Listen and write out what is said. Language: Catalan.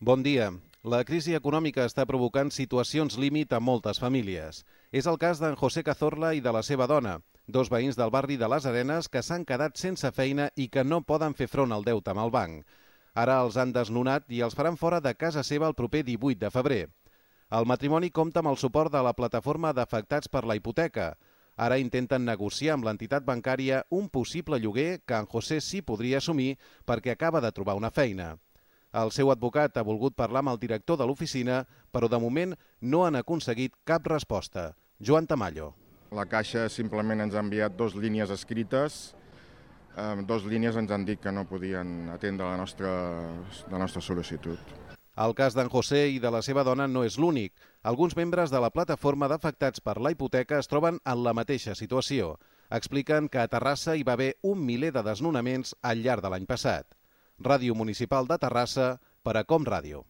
Bon dia. La crisi econòmica està provocant situacions límit a moltes famílies. És el cas d'en José Cazorla i de la seva dona, dos veïns del barri de les Arenes que s'han quedat sense feina i que no poden fer front al deute amb el banc. Ara els han desnonat i els faran fora de casa seva el proper 18 de febrer. El matrimoni compta amb el suport de la plataforma d'afectats per la hipoteca. Ara intenten negociar amb l'entitat bancària un possible lloguer que en José sí podria assumir perquè acaba de trobar una feina. El seu advocat ha volgut parlar amb el director de l'oficina, però de moment no han aconseguit cap resposta. Joan Tamayo. La Caixa simplement ens ha enviat 2 línies escrites. 2 línies ens han dit que no podien atendre la nostra sol·licitud. El cas d'en José i de la seva dona no és l'únic. Alguns membres de la plataforma d'afectats per la hipoteca es troben en la mateixa situació. Expliquen que a Terrassa hi va haver 1 miler de desnonaments al llarg de l'any passat. Ràdio Municipal de Terrassa per a Com Ràdio.